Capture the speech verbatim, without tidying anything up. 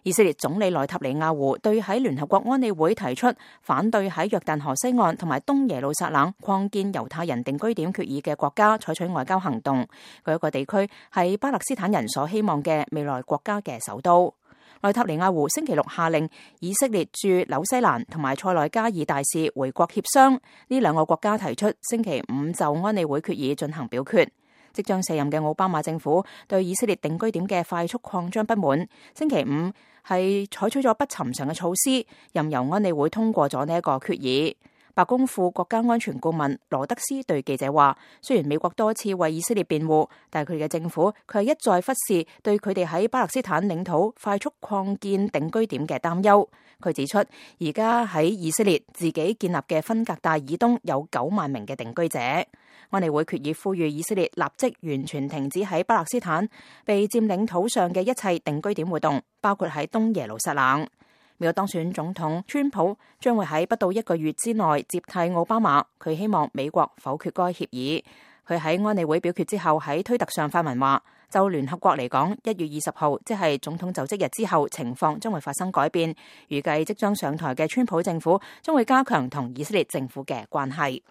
以色列總理內塔尼亞胡對喺聯合國安理會提出反對喺約旦河西岸同埋東耶路撒冷擴建猶太人定居點決議嘅國家採取外交行動。嗰一個地區係巴勒斯坦人所希望嘅未來國家嘅首都。內塔尼亞胡星期六下令以色列駐紐西蘭同埋塞內加爾大使回國協商，呢兩個國家提出星期五就安理會決議進行表決。即將卸任嘅奧巴馬政府對以色列定居點嘅快速擴張不滿，星期五係採取咗不尋常嘅措施，任由安理會通過咗呢一個決議。白宮副國家安全顧問羅德斯對記者話，雖然美國多次為以色列辯護，但係佢哋嘅政府佢係一再忽視對佢哋喺巴勒斯坦領土快速擴建定居點嘅擔憂。佢指出，而家喺以色列自己建立嘅分隔帶以東有九萬名嘅定居者。安理會決議呼籲以色列立即完全停止喺巴勒斯坦被佔領土上嘅一切定居點活動，包括喺東耶路撒冷。美國當選總統川普將會喺不到一個月之內接替奧巴馬，佢希望美國否決該協議。佢喺安理會表決之後喺推特上發文話，就聯合國嚟講，一月二十號即係總統就職日之後，情況將會發生改變。預計即將上台嘅川普政府將會加強同以色列政府嘅關係。